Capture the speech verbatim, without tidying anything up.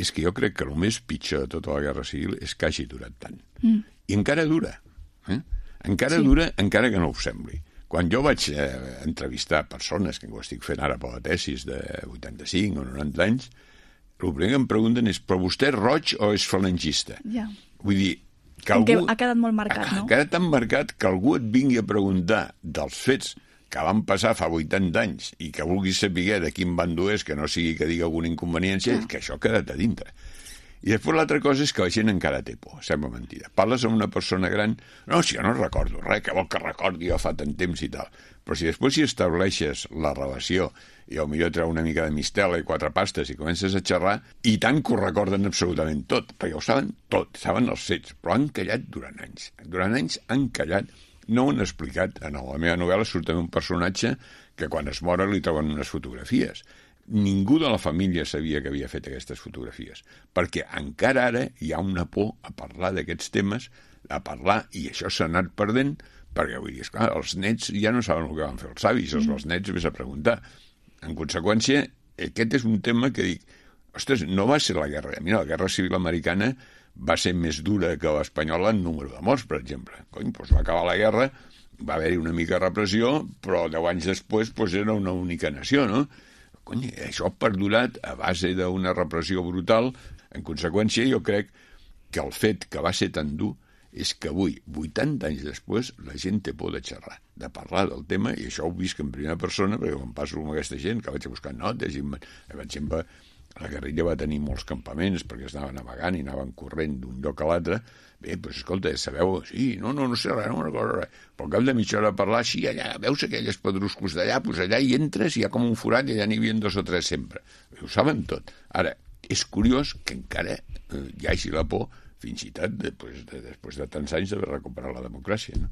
és que jo crec que el més pitjor de tota la Guerra Civil és que hagi durat tant. Mm. I encara dura. Eh? Encara sí. dura, encara que no ho sembli. Quan jo vaig eh, entrevistar persones, que ho estic fent ara per la tesis de vuitanta-cinc o noranta anys, el primer que em pregunten és, però vostè és roig o és falangista? Ja. Vull dir, que algú... algú... Ha quedat molt marcat, ha, no? Ha quedat tan marcat que algú et vingui a preguntar dels fets que van passar fa vuitanta anys i que vulguis saber de quin bando és, que no sigui que digui alguna inconveniència, ja. que això ha quedat a dintre. I després l'altra cosa és que la gent encara té por, sembla mentida. Parles amb una persona gran, no, si jo no recordo res, que vol que recordi jo fa tant temps i tal. Però si després hi estableixes la relació i potser treu una mica de mistela i quatre pastes i comences a xerrar, i tant que ho recorden absolutament tot, perquè ho saben tot, saben els fets, però han callat durant anys. Durant anys han callat, no ho han explicat. En la meva novel·la surt també un personatge que quan es mor li troben unes fotografies. Ningú de la família sabia que havia fet aquestes fotografies, perquè encara ara hi ha una por a parlar d'aquests temes, a parlar, i això s'ha anat perdent, perquè vull dir, esclar, els nets ja no saben el que van fer els avis, els, els nets vés a preguntar. En conseqüència, aquest és un tema que dic, ostres, no va ser la guerra, mira, la guerra civil americana va ser més dura que l'espanyola en número de morts, per exemple. Cony, doncs va acabar la guerra, va haver-hi una mica de repressió, però deu anys després doncs era una única nació, no? Cony, això ha perdurat a base d'una repressió brutal. En conseqüència, jo crec que el fet que va ser tan dur és que avui, vuitanta anys després, la gent té por de xerrar, de parlar del tema, i això ho visc en primera persona, perquè quan passo amb aquesta gent, que vaig a buscar notes, i, per exemple, la guerrilla va tenir molts campaments, perquè es anaven navegant i anaven corrent d'un lloc a l'altre. Bé, doncs escolta, sabeu, sí, no, no, no sé res, no recordo res, però al cap de mitja hora de parlar, sí, allà, veus aquelles pedruscos d'allà, doncs allà hi entres i hi ha com un forat i allà n'hi havia dos o tres sempre. Ho saben tot. Ara, és curiós que encara eh, hi hagi la por, fins i tot després de, després de tants anys d'haver recuperat la democràcia, no?